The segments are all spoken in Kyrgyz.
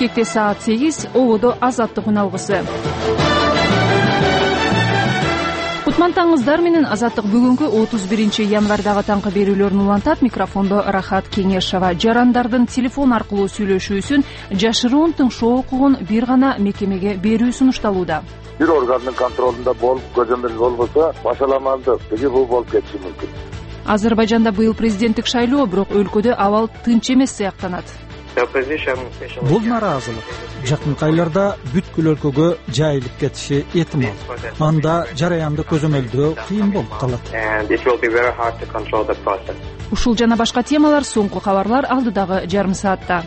Бишкекте саат 8, ободо Азаттык үн алгысы. Кутмантаңыздар менен Азаттык бүгүнкү 31 январдагы таңкы берүүлөрүн улантат. Микрофондо Рахат Кеңешова. Жарандардын телефон аркылуу сүйлөшүүсүн жашыруун тыңшоо укугун бир гана мекемеге берүү сунушталууда. Бир органдын контролунда болуп, көзөмөл болбосо, башаламалдык бул болуп кетиши мүмкүн. Азербайжанда быйыл президенттик шайлоо, бирок өлкөдө абал тынч эмес сыяктанат. Бул нараазылык жакынкы айларда бүткүл өлкөгө жайылып кетиши ыктымал. Анда жараянды көзөмөлдөө кыйын болуп калат. Ушул жана башка темалар соңку кабарлар алдыдагы жарым саатта.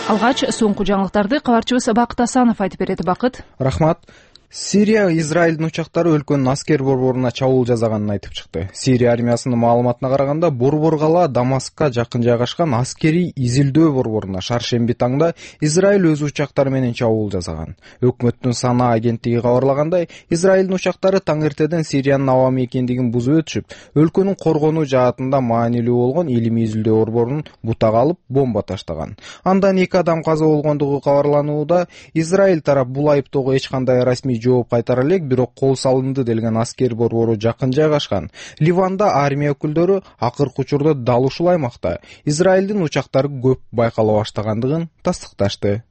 Алгач соңку жаңылыктарды кабарчыбыз Бакыт Асанов айтып берет. Бакыт. Рахмат. Сирия Израилдин учактары өлкөнүн аскер борборуна чабуул жасаганын айтып чыкты. Сирия армиясынын маалыматына караганда, борбор кала Дамаскка жакын жайгашкан аскерий изилдөө борборуна шаршемби таңда Израиль өз учактары менен чабуул жасаган. Өкмөттүн Сана агенттиги кабарлагандай, Израилдин учактары таң эртеден Сириянын аба мекендигин бузуп өтүшүп, өлкөнүн коргонуу жаатында маанилүү болгон илимий изилдөө борборун бутага алып бомба таштаган. Андан 2 адам каза болгондугу кабарланууда. Израиль тарап бул айыптоого эч кандай расмий жооп кайтара элек, бирок кол салынды делген аскер борбору жакын жайгашкан Ливанда армия өкүлдөрү акыркы учурда дал ушул аймакта Израилдин учактары көп байкала баштагандыгын тастыкташты.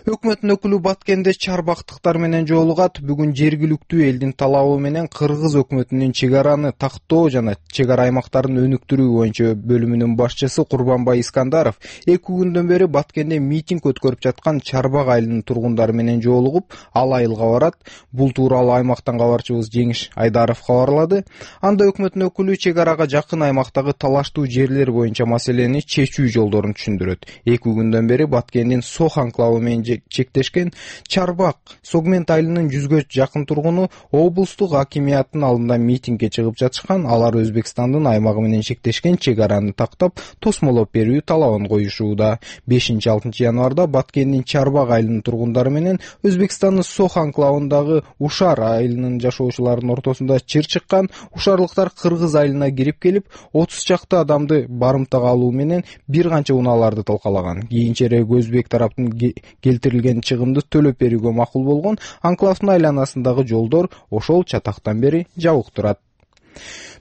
Өкмөттүн өкүлү Баткенде чарбактыктар менен жолугат. Бүгүн жергиликтүү элдин талабы менен Кыргыз өкмөтүнүн чек араны тактоо жана чек ара аймактарын өнүктүрүү боюнча бөлүмүнүн башчысы Курбанбай Искандаров 2 күндөн бери Баткенде митинг өткөрүп жаткан Чарбак айылынын тургундары менен жолугуп, ал айылга барат. Бул тууралуу аймактан кабарчыбыз Жеңиш Айдаров кабарлады. Анда өкмөттүн өкүлү чек арага жакын аймактагы талаштуу жерлер боюнча маселени чечүү жолдорун түшүндүрөт. 2 күндөн бери Баткендин Сох анклавы менен чектешкен Чарбак Согмент айылынын 100гө жакын тургуну облустук акимияттын алдында митингге чыгып жатышкан. Алар Өзбекстандын аймагы менен чектешкен чек араны тактап, тосмолоп берүү талабын коюшууда. 5-6 январда Баткендин Чарбак айылынын тургундары менен Өзбекстандын Сох анклавындагы Ушар айылынын жашоочуларынын ортосунда чыр чыккан. Ушарлыктар Кыргыз айылына кирип келип, 30 чакты адамды барымтага алуу менен бир канча унааларды талкалаган. Кийинчерээк Өзбек тараптын келтирилген чыгымды төлөп берүүгө макул болгон. Анклавдын айланасындагы жолдор ошол чатактан бери жабык турат.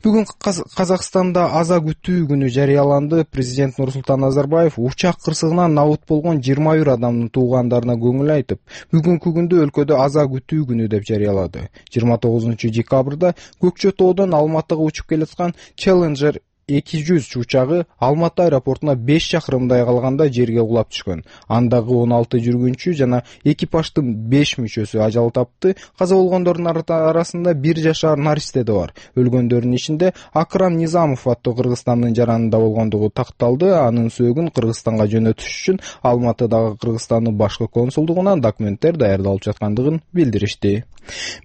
Бүгүн Казакстанда аза күтүү күнү жарыяланды. Президент Нурсултан Назарбаев учак кырсыгынан набыт болгон 21 адамдын туугандарына көңүл айтып, бүгүнкү күндү өлкөдө аза күтүү күнү деп жарыялады. 29 декабрда Көкчө тоодон Алматыга учуп келаткан Challenger 200 учагы Алматы аэропортуна 5 чакырымдай калганда жерге кулап түшкөн. Андагы 16 жүргүнчү жана экипаждын 5 мүчөсү ажал тапты. Каза болгондордун арасында 1 жашар наристе да бар. Өлгөндөрдүн ичинде Акрам Низамов аттуу Кыргызстандын жаранында болгондугу такталды. Анын сөөгүн Кыргызстанга жөнөтүш үчүн Алматыдагы Кыргызстандын башкы консулдугунан документтер даярдалып жаткандыгын билдиришти.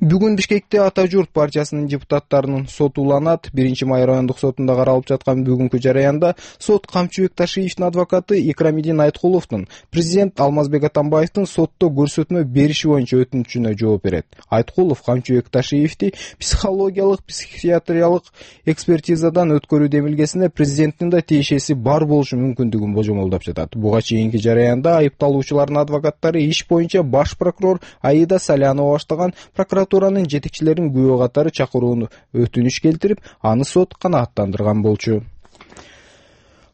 Бүгүн Бишкекте Ата журт партиясынын депутаттарынын соту уланат. 1-май райондук сотунда каралып жаткан бүгүнкү жараянда сот Камчыбек Ташиевдин адвокаты Икрамидин Айткуловдун президент Алмазбек Атамбаевдин сотто көрсөтмө бериши боюнча өтүнүчүнө жооп берет. Айткулов Камчыбек Ташиевди психологиялык, психиатриялык экспертизадан өткөрүү демилгесинде президенттин да тиешеси бар болушу мүмкүндүгүн божомолдоп жатат. Буга чейинки жараянда айыпталуучулардын адвокаттары иш боюнча баш прокурор Аида Салянова баштаган прокуратуранын жетекчилерин күбө катары чакырууну өтүнүш келтирип, аны сот канааттандырган болчу.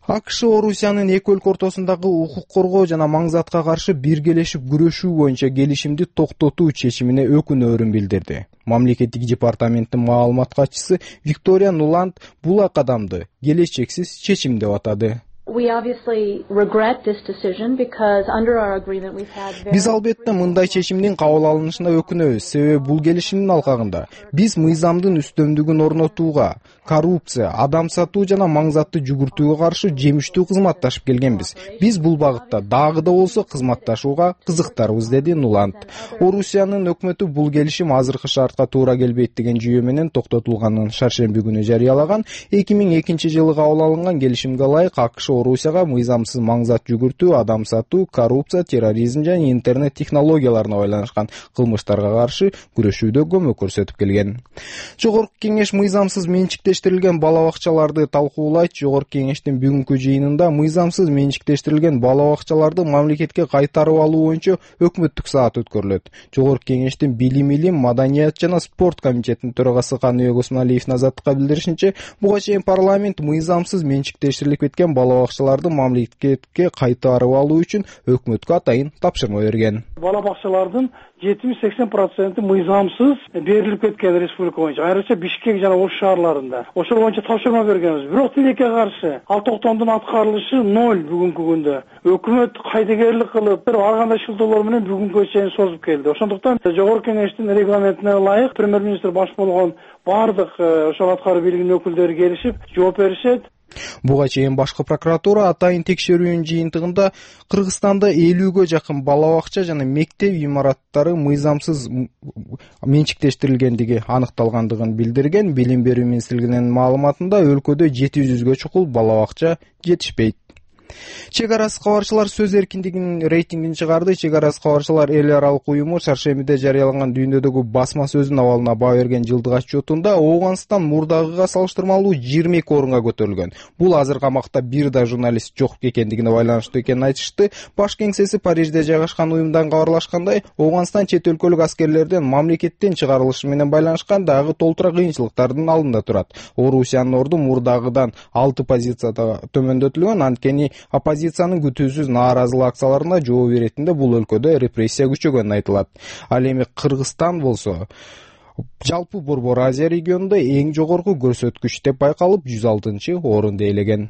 АКШ Орусиянын эки өлкө ортосундагы укук коргоо жана маңзатка каршы биргелешип күрөшүү боюнча келишимди токтотуу чечимине өкүнөөрүн билдирди. Мамлекеттик департаменттин маалымат катчысы Виктория Нуланд бул кадамды келечексиз чечим деп атады. Биз албетте мындай чечимдин кабыл алынышына өкүнөбүз, себеби бул келишимдин алкагында биз мыйзамдын үстөмдүгүн орнотууга, коррупция, адам сатуу жана маңзатты жүгүртүүгө каршы жемиштүү кызматташып келгенбиз. Биз бул багытта дагы да болсо кызматташууга кызыктарбыз, деди Нуланд. Орусиянын өкмөтү бул келишим азыркы шартка туура келбейт деген жүйө менен токтотулганын шаршемби күнү жарыялаган. 2002 жылы кабыл алынган келишимге ылайык АКШ Орусияга мыйзамсыз маңзат жүгүртүү, адам сатуу, коррупция, терроризм жана интернет технологияларына байланышкан кылмыштарга каршы күрөшүүдө көмөк көрсөтүп келген. Жогорку кеңеш мыйзамсыз менчикте менчиктештирилген бала бакчаларды талкуулайт. Жогорку кеңештин бүгүнкү жыйынында мыйзамсыз менчиктештирилген бала бакчаларды мамлекетке кайтарып алуу боюнча өкмөттүк саат өткөрүлөт. Жогорку кеңештин билим, маданият жана спорт комитетинин төрагасы Каныбек Осмалиевдин Азаттыкка билдиришинче, буга чейин парламент мыйзамсыз менчиктештирилип кеткен бала бакчаларды мамлекетке кайтарып алуу үчүн өкмөткө атайын тапшырма берген. Бала бакчалардын 70-80% мыйзамсыз берилип кеткен республика боюнча. Айрыкча Бишкек жана Ош шаарларында. Ошол боюнча тапшырма бергенбиз. Бирок тилекке каршы ал токтомдун аткарылышы 0 бүгүнкү күндө. Өкмөт кайдыгерлик кылып, ар кандай шылтоолор менен бүгүнгө чейин созуп келди. Ошондуктан жогорку кеңештин регламентине ылайык премьер-министр баш болгон бардык ошол аткаруу бийлигинин өкүлдөрү келишип жооп беришет. Буга чейин башкы прокуратура атайын текшерүүнүн жыйынтыгында Кыргызстанда 50ге жакын бала бакча жана мектеп имараттары мыйзамсыз менчиктештирилгендиги аныкталгандыгын билдирген. Билим берүү министрлигинин маалыматында өлкөдө 700ге чукул бала бакча жетишпейт. Чек арасы кабарчылар сөз эркиндигинин рейтингин чыгарды. Чек арасы кабарчылар эл аралык уюму чаршембиде жарыялаган дүйнөдөгү басма сөздүн абалына баа берген жылдык отчетунда Ооганстан мурдагыга салыштырмалуу 22 орунга көтөрүлгөн. Бул азыр камакта бир да журналист жок экендигине байланыштуу экенин айтышты. Баш кеңсеси Парижде жайгашкан уюмдан кабарлашкандай, Ооганстан чет өлкөлүк аскерлердин мамлекеттен чыгарылышы менен байланышкан дагы толтура кыйынчылыктардын алдында турат. Орусиянын орду мурдагыдан 6 позицияда төмөндөтүлгөн. Анткени оппозициянын күтүүсүз нааразылык акцияларына жооп беретинде бул өлкөдө репрессия күчөгөнү айтылат. Ал эми Кыргызстан болсо жалпы Борбор Азия регионунда эң жогорку көрсөткүч деп байкалып 106 орунду ээлеген.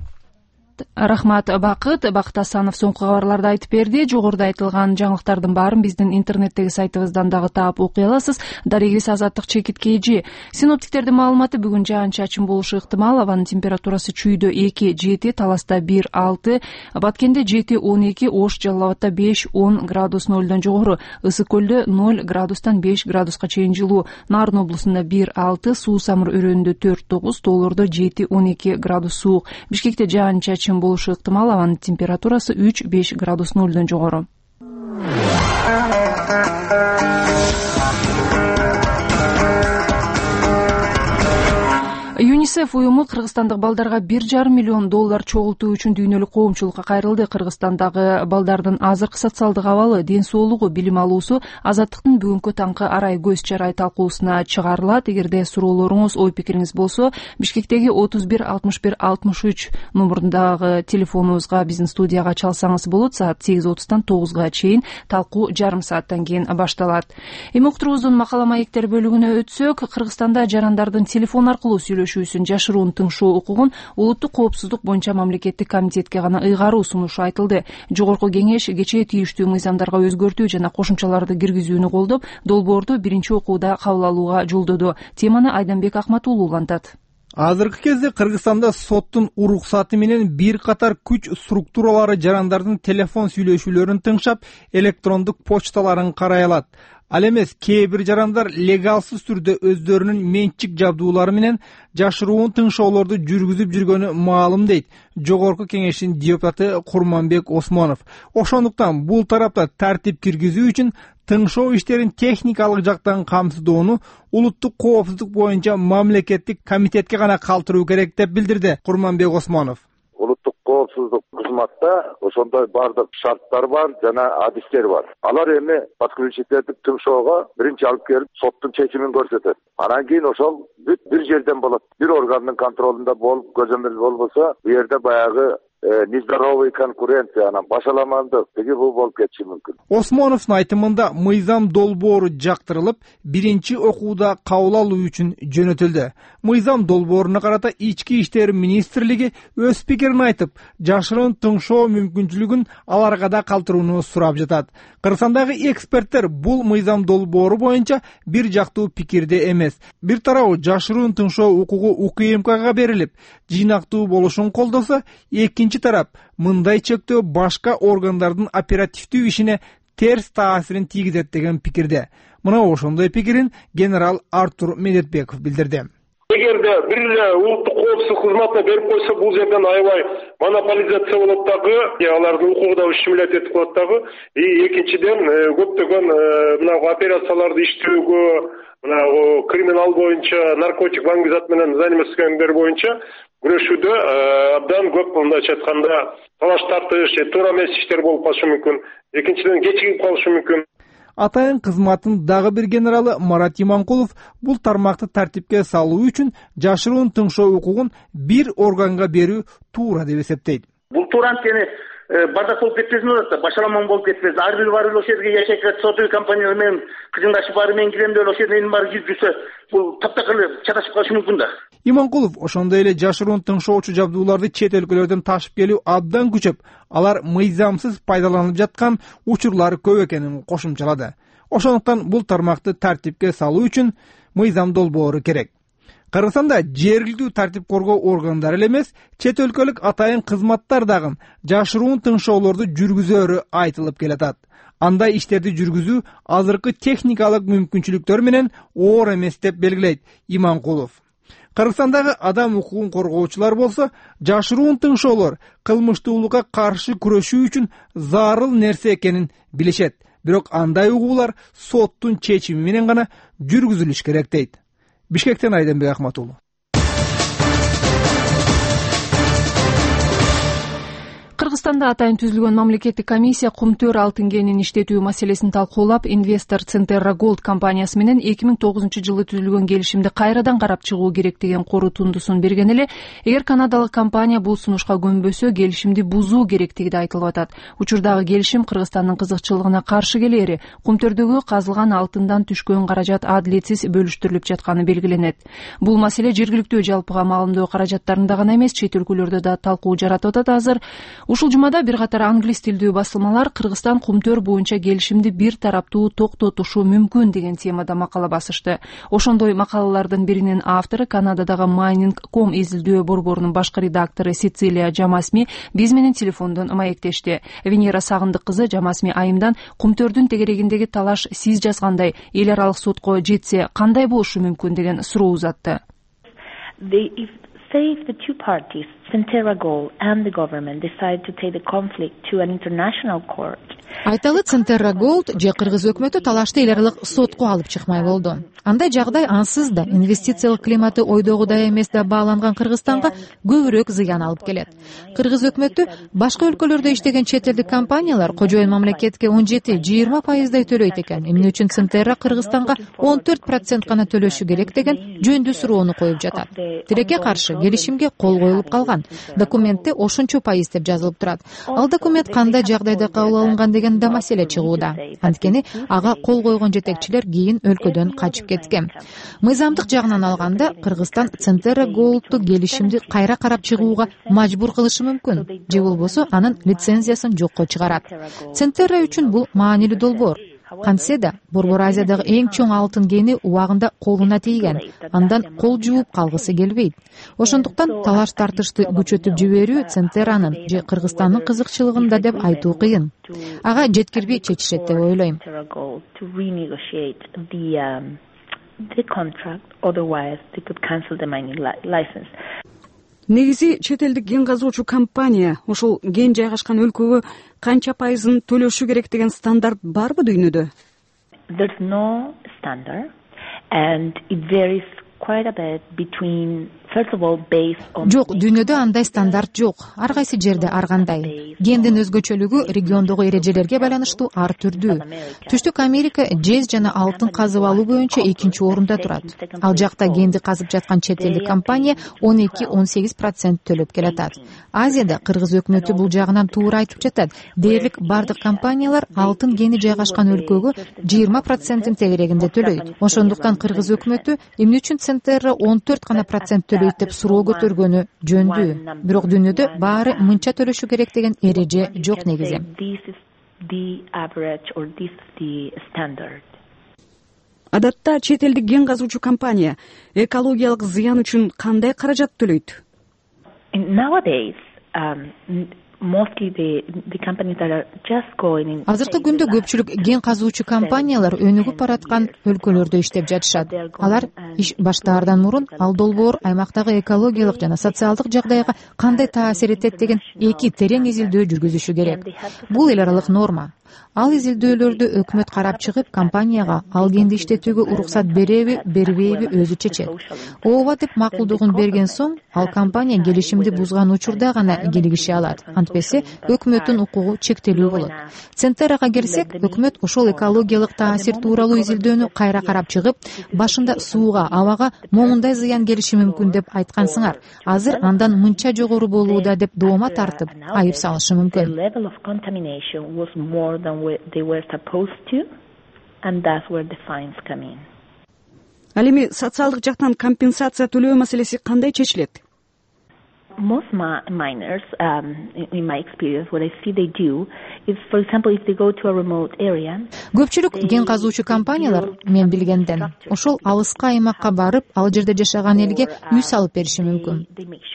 Рахмат Бакыт Асанов соңку кабарларды айтып берди. Жогоруда айтылган жаңылыктардын баарын биздин интернеттеги сайтыбыздан дагы таап окуй аласыз. Дарегибиз Азаттык Чекит KG. Синоптиктердин маалыматы бүгүн жаан-чачын болушу ыктымал. Абанын температурасы Чүйдө 2-7, Таласта 1-6, Баткенде 7-12, Ош Жалал Абадта 5-10 градус нөлдөн жогору, Ысык көлдө 0 градустан 5 градуска чейин жылуу, Нарын облусунда 1-6, Суу Самыр өрөөнүндө 4-9, Тоолордо 7-12 градус суук. Бишкекте жаан-чачын болушу ыктымал. Абанын температурасы 3-5 градус нөлдөн жогору. ЮНИСЕФ уюму кыргызстандык балдарга $1,5 миллион чогултуу үчүн дүйнөлүк коомчулукка кайрылды. Кыргызстандагы балдардын азыркы социалдык абалы, ден соолугу, билим алуусу Азаттыктын бүгүнкү таңкы арай көз чарай талкуусуна чыгарылат. Эгерде суроолоруңуз, ой пикириңиз болсо, Бишкектеги 31 61 63 номурундагы телефонубузга, биздин студияга чалсаңыз болот. Саат 8:30-тан 9-га чейин талкуу жарым сааттан кийин башталат. Эми уктуруубуздун макала маектер бөлүгүнө өтсөк, Кыргызстанда жарандардын телефон аркылуу сүйлөшүүсүн жашыруун тыңшоо укугун улуттук коопсуздук боюнча мамлекеттик комитетке гана ыйгаруу сунушу айтылды. Жогорку кеңеш кечээ тийиштүү мыйзамдарга өзгөртүү жана кошумчаларды киргизүүнү колдоп, долбоорду биринчи окууда кабыл алууга жолдоду. Теманы Айданбек Акматуулу улантат. Азыркы кезде Кыргызстанда соттун уруксаты менен бир катар күч структуралары жарандардын телефон сүйлөшүүлөрүн тыңшап, электрондук почталарын карай алат. Ал эмес, кээ бир жарандар легалсыз түрдө өздөрүнүн менчик жабдуулары менен жашыруун тыңшоолорду жүргүзүп жүргөнү маалым дейт Жогорку кеңештин депутаты Курманбек Осмонов. Ошондуктан бул тарапта тартип киргизүү үчүн тыңшоо иштерин техникалык жактан камсыздоону улуттук коопсуздук боюнча мамлекеттик комитетке гана калтыруу керек деп билдирди Курманбек Осмонов. Коопсуздук кызматта ошондой бардык шарттар бар жана адистер бар. Алар эми подключительдик тыңшоого биринчи алып келип соттун чечимин көрсөтөт. Анан кийин ошол бүт бир жерден болот. Бир органдын контролунда болуп, көзөмөл болбосо, бу жерде баягы нездоровый конкуренция, анан башаламандык бул болуп кетиши мүмкүн. Осмоновдун айтымында мыйзам долбоору жактырылып, биринчи окууда кабыл алуу үчүн жөнөтүлдү. Мыйзам долбооруна карата Ички иштер министрлиги өз пикирин айтып, жашыруун тыңшоо мүмкүнчүлүгүн аларга да калтырууну сурап жатат. Кыргызстандагы эксперттер бул мыйзам долбоору боюнча бир жактуу пикирде эмес. Бир тарабы жашыруун тыңшоо укугу УКМКга берилип, жыйнактуу болушун колдосо, экинчи тарап мындай чектөө башка органдардын оперативдүү ишине терс таасирин тийгизет деген пикирде. Мына ошондой пикирин генерал Артур Медетбеков билдирди. эгерде бир эле улуттук коопсуздук кызматына берип койсо, бул жерден аябай монополизация болот дагы, алардын укугу да ущемлять этип коет дагы. Экинчиден, көптөгөн мына операцияларды иштөөгө, мына криминал боюнча, наркотик ваңгизат менен заниматься боюнча күрөшүүдө абдан көп, мындайча айтканда, талаш тартыш, туура эмес иштер болуп калышы мүмкүн. Экинчиден, кечигип калышы мүмкүн. Атайын кызматтын дагы бир генералы Марат Иманкулов бул тармакты тартипке салуу үчүн жашыруун тыңшоо укугун бир органга берүү туура деп эсептейт. Бул туура анткени бардак болуп кетпесин деп атат, башаламан болуп кетпесин. Ар бир бар ошол жерге жашайт, сотуу компания менен кызыңдашып баары менен кирем деп ошол жерден баары жүрсө, бул таптакыр чаташып калышы мүмкүн да. Иманкулов ошондой эле жашыруун тыңшоочу жабдууларды чет өлкөлөрдөн ташып келүү абдан күчөп, алар мыйзамсыз пайдаланылып жаткан учурлар көп экенин кошумчалады. Ошондуктан бул тармакты тартипке салуу үчүн мыйзам долбоору керек. Кыргызстанда жергиликтүү тартип коргоо органдары эле эмес, чет өлкөлүк атайын кызматтар дагы жашыруун тыңшоолорду жүргүзөөрү айтылып келатат. Андай иштерди жүргүзүү азыркы техникалык мүмкүнчүлүктөр менен оор эмес деп белгилейт Иманкулов. Кыргызстандагы адам укугун коргоочулар болсо, жашыруун тыңшоолор кылмыштуулукка каршы күрөшүү үчүн зарыл нерсе экенин билишет. Бирок андай угуулар соттун чечими менен гана жүргүзүлүш керек дейт. Бишкектен Айденбек Ахматуллу. Кыргызстанда атайын түзүлгөн мамлекеттик комиссия кумтөр алтын кенин иштетүү маселесин талкуулап, инвестор Центерра Голд компаниясы менен 2009 жылы түзүлгөн келишимди кайрадан карап чыгуу керек деген корутундусун берген эле, эгер канадалык компания бул сунушка көнбөсө, келишимди бузуу керектиги да айтылып атат. Учурдагы келишим Кыргызстандын кызыкчылыгына каршы келери, кумтөрдөгү казылган алтындан түшкөн каражат адилетсиз бөлүштүрүлүп жатканы белгиленет. Бул маселе жергиликтүү жалпыга маалымдоо каражаттарында гана эмес, чет өлкөлөрдө да талкуу жаратып атат азыр. Ушул жумада бир катар англис тилдүү басылмалар Кыргызстан кумтөр боюнча келишимди бир тараптуу токтотушу мүмкүн деген темада макала басышты. Ошондой макалалардын биринин автору Канададагы Mining.com изилдөө борборунун башкы редактору Сицилия Джамасми биз менен телефондон маектешти. Венера Сагындык кызы Джамасми айымдан кумтөрдүн тегерегиндеги талаш сиз жазгандай эл аралык сотко жетсе кандай болушу мүмкүн деген суроо узатты. Say if the two parties, Centerra Gold and the government, decide to take the conflict to an international court. Айталы Центерра Голд же кыргыз өкмөтү талашты эл аралык сотко алып чыкмай болду. Андай жагдай ансыз да инвестициялык климаты ойдогудай эмес да бааланган Кыргызстанга көбүрөөк зыян алып келет. Кыргыз өкмөтү башка өлкөлөрдө иштеген чет элдик компаниялар кожоюн мамлекетке 17-20% төлөйт экен. Эмне үчүн Центерра Кыргызстанга 14% гана төлөшү керек деген жөндүү суроону коюп жатат. Тилекке каршы келишимге кол коюлуп калган. Документте ошончо пайыз деп жазылып турат. Ал документ кандай жагдайда кабыл алынган деген да маселе чыгууда. Анткени ага кол койгон жетекчилер кийин өлкөдөн качып кеткен. Мыйзамдык жагынан алганда Кыргызстан Центерра Голдту келишимди кайра карап чыгууга мажбур кылышы мүмкүн. Же болбосо анын лицензиясын жокко чыгарат. Центерра үчүн бул маанилүү долбоор. Кантсе да Борбор Азиядагы эң чоң алтын кени убагында колуна тийген. Андан кол жууп калгысы келбейт. Ошондуктан талаш тартышты күчөтүп жиберүү Центерранын же Кыргызстандын кызыкчылыгында деп айтуу кыйын. Ага жеткирбей чечишет деп ойлойм. Негизи чет элдик кен казуучу компания ошол кен жайгашкан өлкөгө канча пайызын төлөшү керек деген стандарт барбы дүйнөдө? There's no standard and it varies quite a bit between Жок, дүйнөдө андай стандарт жок. Ар кайсы жерде ар кандай. Кендин өзгөчөлүгү региондогу эрежелерге байланыштуу ар түрдүү. Түштүк Америка жез жана алтын казып алуу боюнча 2-орунда турат. Ал жакта кенди казып жаткан чет элдик компания 12-18% төлөп келатат. Азияда кыргыз өкмөтү бул жагынан туура айтып жатат. Дээрлик бардык компаниялар алтын кени жайгашкан өлкөгө 20% тегерегинде төлөйт. Ошондуктан кыргыз өкмөтү эмне үчүн Центерра 14 гана процент төлөйт деп суроо көтөргөнү жөндүү. Бирок дүйнөдө баары мынча төлөшү керек деген эреже жок негизи. Адатта чет элдик кен казуучу компания экологиялык зыян үчүн кандай каражат төлөйт? Nowadays, азыркы күндө көпчүлүк ген казуучу компаниялар өнүгүп бараткан өлкөлөрдө иштеп жатышат. Алар иш баштаардан мурун ал долбоор аймактагы экологиялык жана социалдык жагдайга кандай таасир этет деген эки терең изилдөө жүргүзүшү керек. Бул эл аралык норма. Ал изилдөөлөрдү өкмөт карап чыгып, компанияга ал генди иштетүүгө уруксат береби, бербейби өзү чечет. Ооба деп макулдугун берген соң, ал компания келишимди бузган учурда гана кийлигише алат. Антпесе өкмөттүн укугу чектелүү болот. Центерага келсек, өкмөт ошол экологиялык таасир тууралуу изилдөөнү кайра карап чыгып, башында сууга, абага моңундай зыян келиши мүмкүн деп айткансыңар. Азыр андан мынча жогору болууда деп доoma тартып, айып салышы мүмкүн. Ал эми социалдык жактан компенсация төлөө маселеси кандай чечилет? Most miners, in my experience, what I see they do is, for example, if they go to a remote area. Көпчүлүк ген казуучу компаниялар, мен билгенден, ошол алыска аймакка барып, ал жерде жашаган элге үй салып бериши мүмкүн.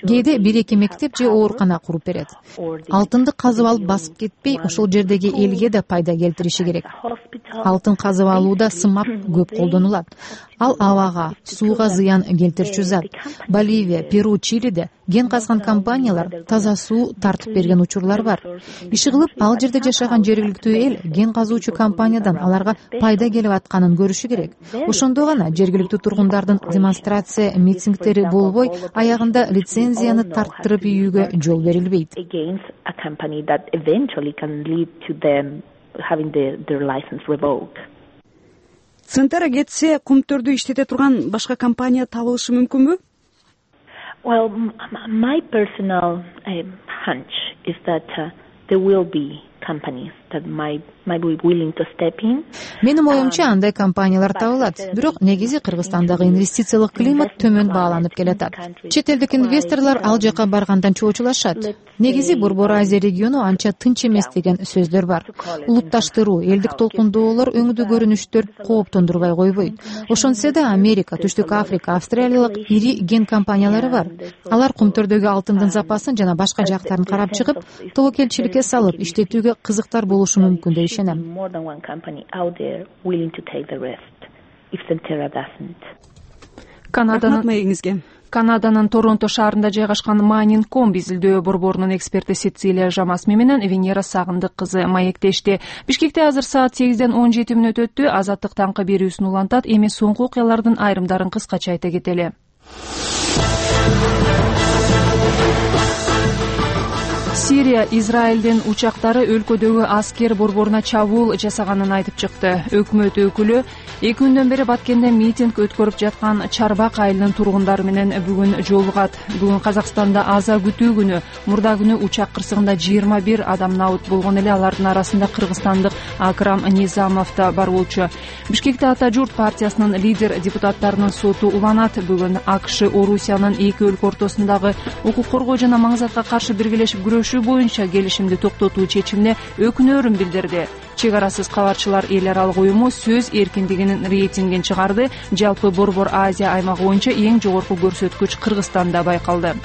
Кээде 1-2 мектеп же оорукана куруп берет. Алтынды казып алып басып кетпей, ошол жердеги элге да пайда келтириши керек. Алтын казып алууда сымап көп колдонулат. Ал абага, сууга зыян келтирчү зат. Боливия, Перу, Чилиде ген казган компаниялар таза суу тартып берген учурлар бар. Иши кылып, ал жерде жашаган жергиликтүү эл ген казуучу компаниядан аларга пайда келип атканын көрүшү керек. Ошондо гана жергиликтүү тургундардын демонстрация, митингдери болбой, аягында лицензияны тарттырып ийүүгө жол берилбейт. Центера кетсе, кумтөрдү иштете турган башка компания табылышы мүмкүнбү? Well, my personal hunch is that there will be companies that might be willing to step in. Менин оюмча, андай компаниялар табылат. Бирок негизи Кыргызстандагы инвестициялык климат төмөн бааланып келатат. Чет элдик инвесторлор ал жака баргандан чоочулашат. Негизи Борбор Азия региону анча тынч эмес деген сөздөр бар. Улутташтыруу, элдик толкундоолор, өңдүү көрүнүштөр кооптондурбай койбойт. Ошонтсе да Америка, Түштүк Африка, Австралиялык ири ген компаниялары бар. Алар кумтөрдөгү алтындын запасын жана башка жактарын карап чыгып, тобокелчиликке салып иштетүүгө кызыктар болушу мүмкүн деп ишенем. Канаданын Торонто шаарында жайгашкан Майнинг.com изилдөө борборунун эксперти Сицилия Жамасми менен Венера Сагындык кызы маектешти. Бишкекте азыр саат 8-ден 17 мүнөт өттү. Азаттык таңкы берүүсүн улантат. Эми соңку окуялардын айрымдарын кыскача айта кетели. Сирия Израилдин учактары өлкөдөгү аскер борборуна чабуул жасаганын айтып чыкты. Өкмөт өкүлү 2 күндөн бери Баткенде митинг өткөрүп жаткан Чарбак айылынын тургундары менен бүгүн жолугат. Бүгүн Казакстанда аза күтүү күнү. Мурда күнү учак кырсыгында 21 адам набыт болгон эле, алардын арасында кыргызстандык Акрам Низамов да бар болчу. Бишкекте Ата журт партиясынын лидер депутаттарынын соту уланат. Бүгүн АКШ Орусиянын эки өлкө ортосундагы укук коргоо жана маңзатка каршы биргелешип күрөшүү боюнча келишимди токтотуу чечимине өкүнөөрүн билдирди. Чек арасыз кабарчылар эл аралык уюму сөз эркиндигинин рейтингин чыгарды. Жалпы Борбор Азия аймагы боюнча эң жогорку көрсөткүч Кыргызстанда байкалды.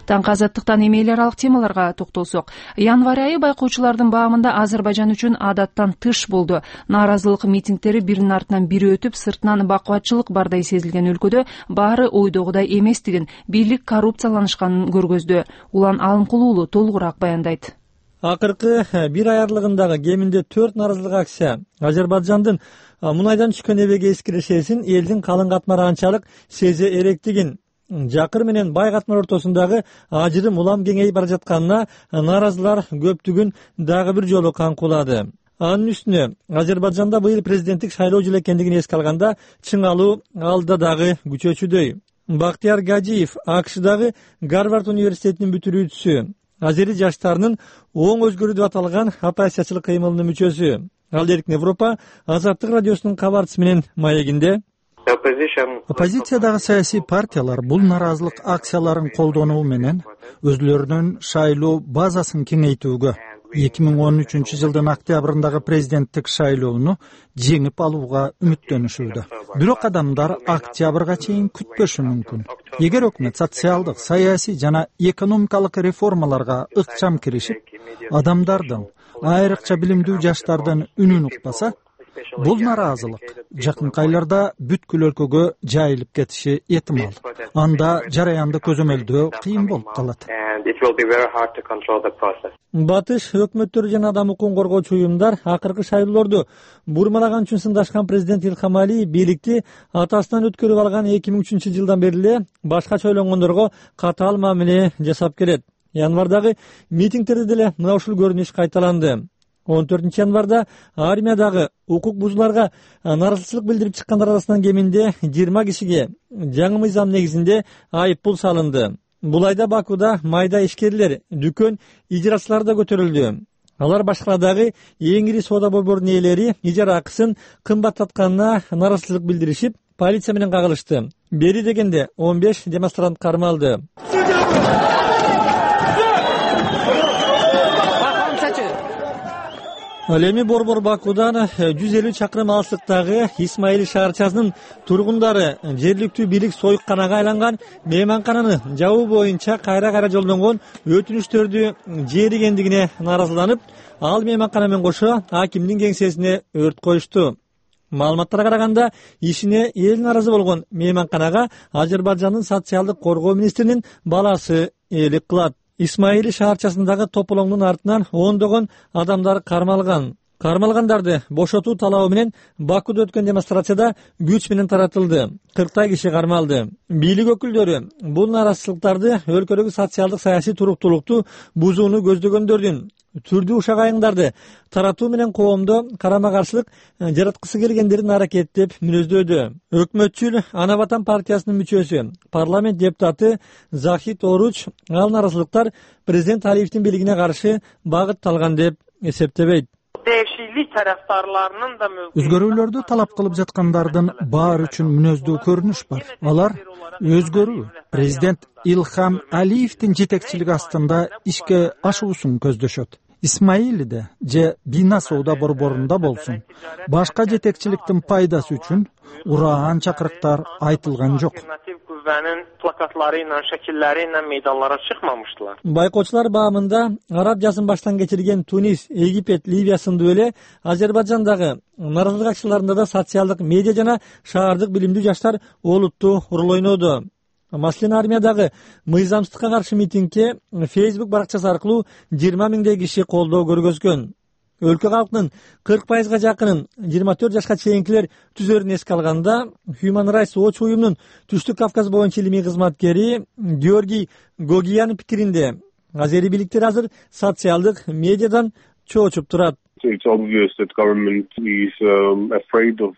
Таңкы азаттыктан эми эл аралык темаларга токтолсок, январь айы байкоочулардын баамында Азербайжан үчүн адаттан тыш болду. Нааразылык митингдери биринин артынан бири өтүп, сыртынан бакубатчылык бардай сезилген өлкөдө баары ойдогудай эместигин, бийлик коррупцияланышканын көргөздү. Улан Алымкулуулу толугураак баяндайт. Акыркы бир ай аралыгындагы кеминде 4 нааразылык акция Азербайжандын мунайдан түшкөн эбеге эскиришесин элдин калың катмары анчалык сезе эректигин, жакыр менен бай катмар ортосундагы ажырым улам кеңейип бара жатканына нааразылар көптүгүн дагы бир жолу каңкуулады. Анын үстүнө Азербайжанда быйыл президенттик шайлоо жыл экендигин эске алганда чыңалуу алда дагы күчөчүдөй. Бактияр Гаджиев АКШдагы Гарвард университетинин бүтүрүүчүсү, азери жаштарынын оң өзгөрүү деп аталган оппозициячылык кыймылынын мүчөсү. Ал Эркин Европа Азаттык радиосунун кабарчысы менен маегинде оппозициядагы саясий партиялар бул нааразылык акцияларын колдонуу менен өзлөрүнүн шайлоо базасын кеңейтүүгө, 2013 жылдын октябрындагы президенттик шайлоону жеңип алууга үмүттөнүшүүдө. бирок адамдар октябрга чейин күтпөшү мүмкүн. Эгер өкмөт социалдык, саясий жана экономикалык реформаларга ыкчам киришип, адамдардын, айрыкча билимдүү жаштардын үнүн укпаса, бул нааразылык жакынкы айларда бүткүл өлкөгө жайылып кетиши эhtимал. Анда жараянды көзөмөлдөө кыйын болуп калат. Батыш өкмөттөрү жана адам укугун коргоочу уюмдар акыркы шайлоолорду бурмалаган үчүн сындашкан президент Илхам Алиев бийликти атасынан өткөрүп алган 2003 жылдан бери эле башкача ойлонгондорго катаал мамиле жасап келет. Январдагы митингтерде деле мына ушул көрүнүш кайталанды. 14 январда армиядагы укук бузууларга нааразычылык билдирип чыккандар арасынан кеминде 20 кишиге жаңы мыйзам негизинде айып пул салынды. Бул айда Бакуда майда ишкерлер, дүкөн ижарачылары да көтөрүлдү. Алар башкарадагы эң ири соода борборунун ээлери ижара акысын кымбаттатканына нааразычылык билдиришип, полиция менен кагылышты. Бери дегенде 15 демонстрант кармалды. Ал эми борбор Бакудан 150 чакырым алыстыктагы Исмаил шаарчасынын тургундары жергиликтүү бийлик союкканага айланган мейманкананы жабуу боюнча кайра жолдонгон өтүнүчтөрдү жээригендигине нааразыланып, ал мейманкана менен кошо акимдин кеңсесине өрт коюшту. Маалыматтарга караганда, ишине эл нааразы болгон мейманканага Азербайжандын социалдык коргоо министринин баласы ээлик кылат. Исмаили шаарчасындагы тополоңдун артынан ондогон адамдар кармалган. Кармалгандарды бошотуу талабы менен Бакуда өткөн демонстрацияда күч менен таратылды. 40 киши кармалды. Бийлик өкүлдөрү бул нааразычылыктарды өлкөдөгү социалдык саясий туруктуулукту бузууну көздөгөндөрдүн түрдүү ушак айыңдарды таратуу менен коомдо карама каршылык жараткысы келгендердин аракети деп мүнөздөдү. Өкмөтчүл Ана Ватан партиясынын мүчөсү, парламент депутаты Захид Оруч ал нааразылыктар президент Алиевдин бийлигине каршы багытталган деп эсептебейт. Өзгөрүүлөрдү талап кылып жаткандардын баары үчүн мүнөздүү көрүнүш бар. Алар өзгөрүү президент Илхам Алиевдин жетекчилиги астында ишке ашуусун көздөшөт. Исмаилиде же Бина соода борборунда болсун, башка жетекчиликтин пайдасы үчүн ураан чакырыктар айтылган жок. Байкоочулар баамында араб жазын баштан кечирген Тунис, Египет, Ливия сындуу эле Азербайжандагы нааразылык акчаларында да социалдык медиа жана шаардык билимдүү жаштар олуттуу роль ойноду. Маселен, армиядагы мыйзамсыздыкка каршы митингге Facebook баракчасы аркылуу 20 миңдей киши колдоо көргөзгөн. Өлкө калкынын 40%га жакынын 24 жашка чейинкилер түзөрүн эске алганда, Human Rights Watch уюмунун Түштүк Кавказ боюнча илимий кызматкери Георгий Гогиянын пикиринде, азери бийликтер азыр социалдык медиадан чоочуп турат.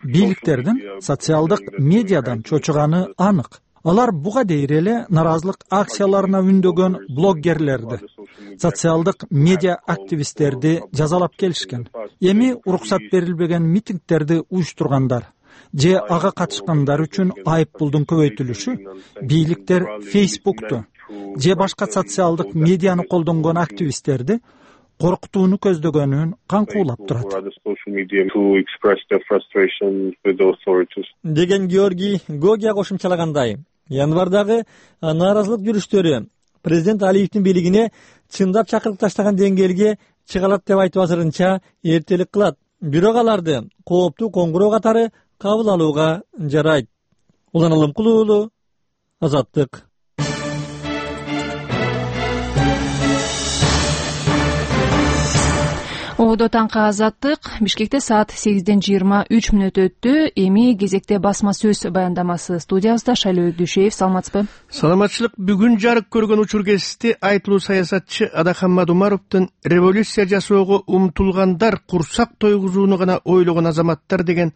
Бийликтердин социалдык медиадан чочуганы анык. Алар буга дейр эле нааразылык акцияларына үндөгөн блоггерлерди, социалдык медиа активисттерди жазалап келишкен. Эми уруксат берилбеген митингтерди уюштургандар же ага катышкандар үчүн айып пулдун көбөйтүлүшү бийликтер Facebook'ту же башка социалдык медианы колдонгон активисттерди коркутууну көздөгөнүн каңкуулап турат. Деген Георгий Гогия кошумчалагандай, январдагы нааразылык жүрүштөрү президент Алиевдин бийлигине чындап чакырып таштаган деңгээлге чыга алат деп айтып азырынча эртелик кылат. Бирок аларды кооптуу коңгуроо катары кабыл алууга жарайт. Улан Алымкулуу уулу, Азаттык. Одо таңкы Азаттык. Бишкекте саат 8:23 өттү. Эми кезекте басма сөз баяндамасы. Студиябызда Шайлоо Дүйшеев. Саламатсызбы? Саламатчылык. Бүгүн жарык көргөн учур кезишти айтылуу саясатчы Адахан Мадумаровдун революция жасоого умтулгандар курсак тойгузууну гана ойлогон азаматтар деген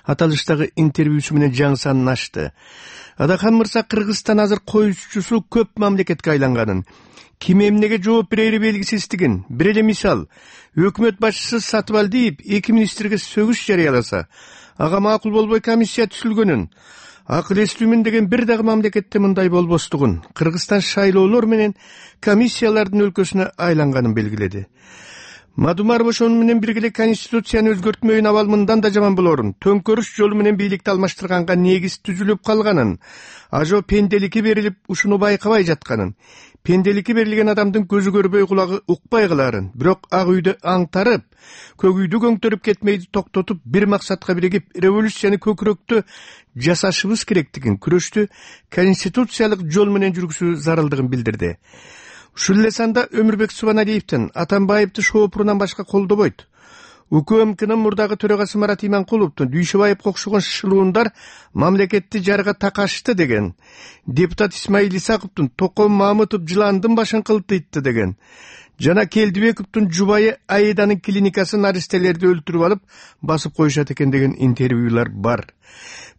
аталыштагы интервьюсу менен жаңы санын ачты. Адахан мырза Кыргызстан азыр коюучусу көп мамлекетке айланганын, ким эмнеге жооп берери белгисиздигин, бир эле мисал, өкмөт башчысы Сатыбалдиев 2 министрге сөгүш жарыяласа, ага макул болбой комиссия түзүлгөнүн, акыл эстүүмүн деген бир дагы мамлекетте мындай болбостугун, Кыргызстан шайлоолор менен комиссиялардын өлкөсүнө айланганын белгиледи. Мадумаров ошону менен бирге эле конституцияны өзгөртмөйүн абал мындан да жаман болорун, төңкөрүш жолу менен бийликти алмаштырганга негиз түзүлүп калганын, ажо пенделикке берилип ушуну байкабай жатканын, пенделикке берилген адамдын көзү көрбөй кулагы укпай каларын, бирок ак үйдө аңтарып, көк үйдү көңтөрүп кетмейди токтотуп, бир максатка биригип революцияны көкүрөктө жасашыбыз керектигин, күрөштү конституциялык жол менен жүргүзүү зарылдыгын билдирди. Ушул эле санда Өмүрбек Субаналиевдин Атамбаевди шоопурунан башка колдобойт. УКМКнын мурдагы төрагасы Марат Иманкуловдун Дүйшөбаевге окшогон шылуундар мамлекетти жарга такашты деген, депутат Исмаил Исаковдун Током Мамытов жыландын башын кылтыйтты деген, жана Келдибековдун жубайы Аиданын клиникасын аристелерди өлтүрүп алып басып коюшат экен деген интервьюлар бар.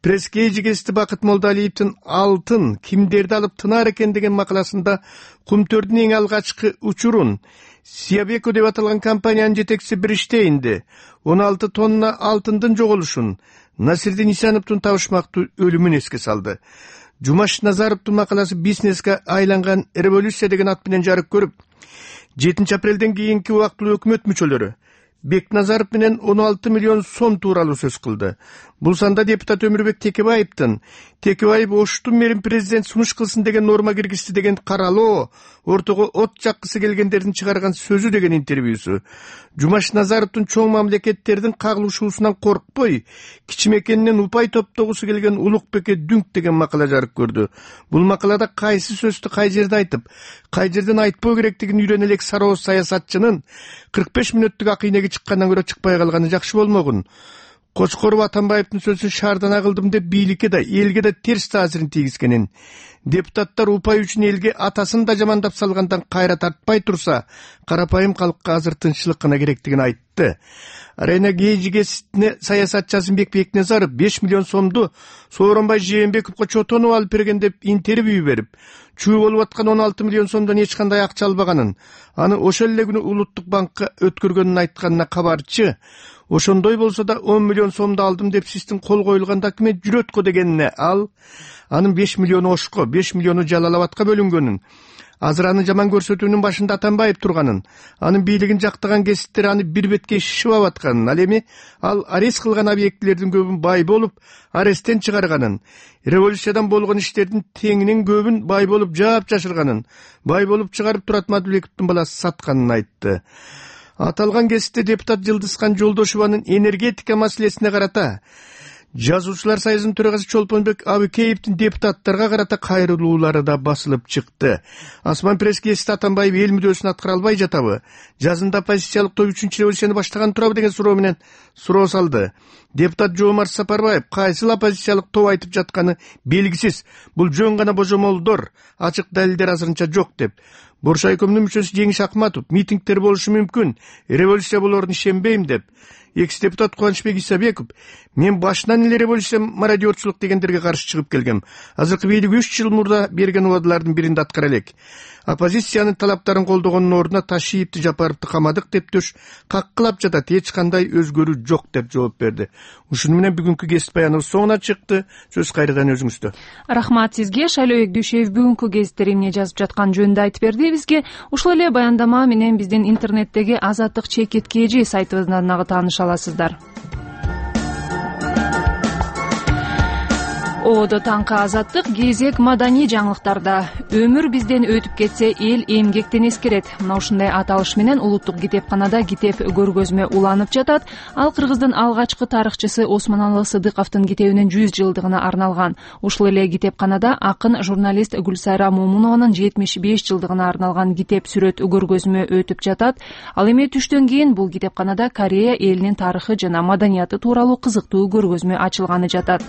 Пресс-кейжигести Бакыт Молдалиевдин алтын кимдерди алып тынар экен деген макаласында Кумтөрдүн эң алгачкы учурун Сиябеко деп аталган компаниянын жетекчиси бир иштейинде 16 тонна алтындын жоголушун, Насирдин Исановдун табышмактуу өлүмүн эске салды. Жумаш Назаровдун макаласы бизнеске айланган революция деген ат менен жарык көрүп, 7 апрелден кийинки убактылуу өкмөт мүчөлөрү Бекназаров менен 16 миллион сом тууралуу сөз кылды. Бул санда депутат Өмүрбек Текебаев Оштун мэрин президент сунуш кылсын деген норма киргизди деген каралоо, ортого от жаккысы келгендердин чыгарган сөзү деген интервьюсу. Жумаш Назаровдун чоң мамлекеттердин кагылышуусунан коркпой, кичимекенинен упай топтогусу келген Улукбекке дүңк деген макала жарык көрдү. Бул макалада кайсы сөздү кай жерде айтып, кай жерден айтпоо керектигин үйрөнө элек сарооз саясатчынын 45 мүнөттүк акыйнеги чыккандан көрө чыкпай калганы жакшы болмогун. Кочкоров Атамбаевдин сөзүн шаардана кылдым деп бийликке да, элге да терс таасирин тийгизгенин, депутаттар упай үчүн элге атасын да жамандап салгандан кайра тартпай турса, карапайым калкка азыр тынччылык гана керектигин айтты. Арена гейжигесине саясатчы Азымбек Бекназаров 5 миллион сомду Сооронбай Жээнбековго чотонуп алып берген деп интервью берип, чуу болуп аткан 16 миллион сомдон эч кандай акча албаганын, аны ошол эле күнү Улуттук банкка өткөргөнүн айтканына кабарчы. Ошондой болсо да 10 миллион сомду алдым деп сиздин кол коюлган документ жүрөткө дегенине ал, анын 5 миллиону Ошко, 5 миллиону Жалал-Абадка бөлүнгөнүн, азыр аны жаман көрсөтүүнүн башында Атамбаев турганын, анын бийлигин жактаган кесиптер аны бир бетке шишип атканын, ал эми ал арест кылган объектилердин көбүн бай болуп, аресттен чыгарганын, революциядан болгон иштердин теңинин көбүн бай болуп жаап жашырганын, бай болуп чыгарып Турат Мадыбековдун баласы сатканын айтты. Аталган кесипте депутат Жылдызкан Жолдошованын энергетика маселесине карата Жазуучулар союзунун төрагасы Чолпонбек Абыкеевдин депутаттарга карата кайрылуулары да басылып чыкты. Асман пресс-гезити Атамбаев эл мүдөөсүн аткара албай жатабы? Жазында оппозициялык топ 3-чү революцияны баштаган турабы деген суроо менен суроо салды. Депутат Жоомарт Сапарбаев кайсыл оппозициялык топ айтып жатканы белгисиз. Бул жөн гана божомолдор, ачык далилдер азырынча жок деп. Боршайкомдун мүчөсү Жеңиш Акматов митингдер болушу мүмкүн, революция болоруна ишенбейм деп. Экс-депутат Кубанычбек Исабеков, мен башынан эле революция мародерчулук дегендерге каршы чыгып келгем. Азыркы бийлик 3 жыл мурда берген убадалардын биринде аткара элек. Оппозициянын талаптарын колдогондун ордуна Ташиевди, Жапаровду камадык деп төш каккылап жатат, эч кандай өзгөрүү жок деп жооп берди. Ушуну менен бүгүнкү кесип баяныбыз соңуна чыкты. Сөз кайрадан өзүңүздө. Рахмат сизге. Шайлообек Дүйшөев бүгүнкү гезиттер эмне жазып жаткан жөнүндө айтып берди бизге. Ушул эле баяндама менен биздин интернеттеги Азаттык чекит KG сайтыбыздан дагы тааныша аласыздар. Оодо таңкы Азаттык кезек маданий жаңылыктарда. Өмүр бизден өтүп кетсе, эл эмгектен эскерет. Мына ушундай аталыш менен улуттук китепканада китеп көргөзмө уланып жатат. Ал Кыргыздын алгачкы тарыхчысы Осмоналы Сыдыковдун китебинин 100 жылдыгына арналган. Ушул эле китепканада акын журналист Гүлсайра Момунованын 75 жылдыгына арналган китеп сүрөт көргөзмө өтүп жатат. Ал эми түштөн кийин бул китепканада Корея элинин тарыхы жана маданияты тууралуу кызыктуу көргөзмө ачылганы жатат.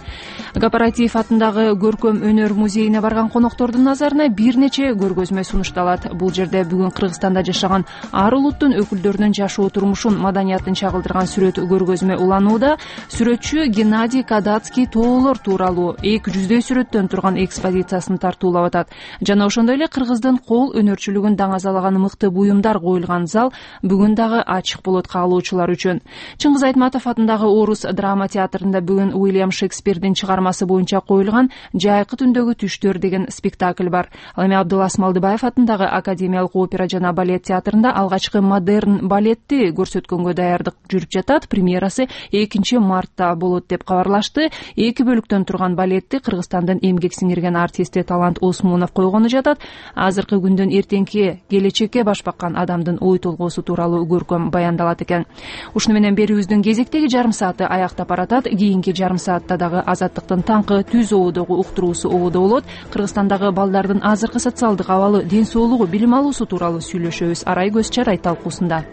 Атындагы көркөм өнөр музейине барган коноктордун назарына бир нече көргөзмө сунушталат. Бул жерде бүгүн Кыргызстанда жашаган ар улуттун өкүлдөрүнүн жашоо турмушун, маданиятын чагылдырган сүрөт көргөзмө уланууда. Сүрөтчү Геннадий Кадацкий тоолор тууралуу 200 сүрөттөн турган экспозициясын тартуулап атат. Жана ошондой эле Кыргыздын кол өнөрчүлүгүн даңазалаган мыкты буюмдар коюлган зал бүгүн дагы ачык болот каалоочулар үчүн. Чыңгыз Айтматов атындагы Орус драма театрында бүгүн Уильям Шекспирдин чыгармасы боюнча боюнча коюлган Жайкы түндөгү түштөр деген спектакль бар. Ал эми Абдулас Малдыбаев атындагы Академиялык опера жана балет театрында алгачкы модерн балетти көрсөткөнгө даярдык жүрүп жатат. Премьерасы 2 мартта болот деп кабарлашты. 2 бөлүктөн турган балетти Кыргызстандын эмгек сиңирген артисти Талант Осмонов койгону жатат. Азыркы күндөн эртеңки келечекке баш баккан адамдын ой толгоосу тууралуу көркөм баяндалат экен. Ушуну менен берүүбүздүн кезектеги жарым сааты аяктап баратат. Кийинки жарым саатта дагы Азаттыктын таңкы түз ободогу уктуруусу ободо болот. Кыргызстандагы балдардын азыркы социалдык абалы, ден соолугу, билим алуусу тууралуу сүйлөшөбүз. Арай көз чарай талкуусунда.